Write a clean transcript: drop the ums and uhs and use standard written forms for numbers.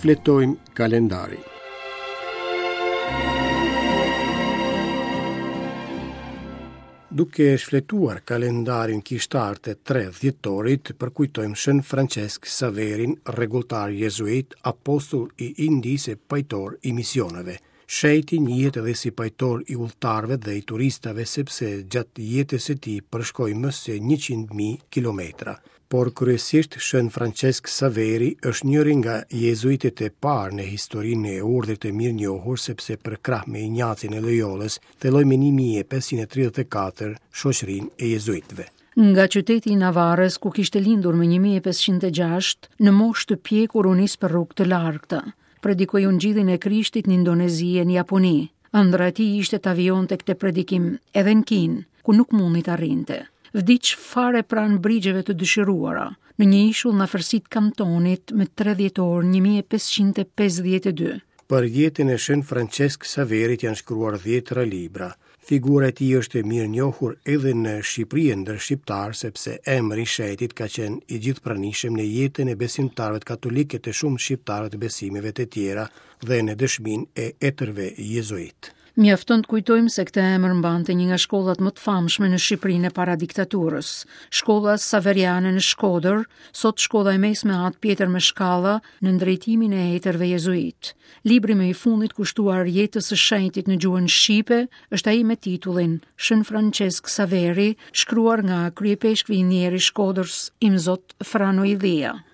Shfletojmë kalendarin. Duke shfletuar kalendarin kishtar të 3 dhjetorit, përkujtojmë Shën Françesk Saverin, rregulltar jezuit, apostull i Indisë e pajtor i misioneve. Shenjti njihet edhe si pajtor i udhëtarëve dhe i turistave sepse gjatë jetës së tij përshkoi më se 100.000 kilometra. Por kryesisht Shën Françesk Saveri është njëri nga jezuitët e parë në historinë e urdhrit të mirënjohur sepse përkrah me Injacin e Loyolës thelloi më 1534 shoqërinë e jezuitëve. Nga qyteti i Navarës, ku kishte lindur më 1506, në moshë të pjekur u nis për rrugë të largëta. Predikoi ungjillin e Krishtit në Indonezi e në Japoni. Ëndrra e tij ishte ta vijonte këtë predikim edhe në Kinë, ku nuk mundi të arrinte. Vdiq fare pranë brigjeve të dëshiruara, në një ishull në afërsi të Kantonit më 3 dhjetor 1552. Për jetën e Shën Françesk Saverit janë shkruar dhjetëra libra. Figura e tij është e mirënjohur edhe në Shqipëri e ndër shqiptarë sepse emri i shenjtit ka qenë i gjithëpranishëm në jetën e besimtarëve katolikë e të shumë shqiptarëve të besimeve të tjera dhe në dëshminë e etërve jezuitë. Mjafton të kujtojmë se këtë emër mbante një nga shkollat më të famshme në Shqipërinë e para diktaturës, shkolla Saveriane në Shkodër, sot shkolla e mesme At Pjetër Meshkalla nën drejtimin e etërve jezuitë. Libri më i fundit kushtuar jetës së shenjtit në gjuhën shqipe është ai me titullin Shën Françesk Saveri, shkruar nga kryeipeshkvi i ndjerë i Shkodrës, Imzot Frano Illia.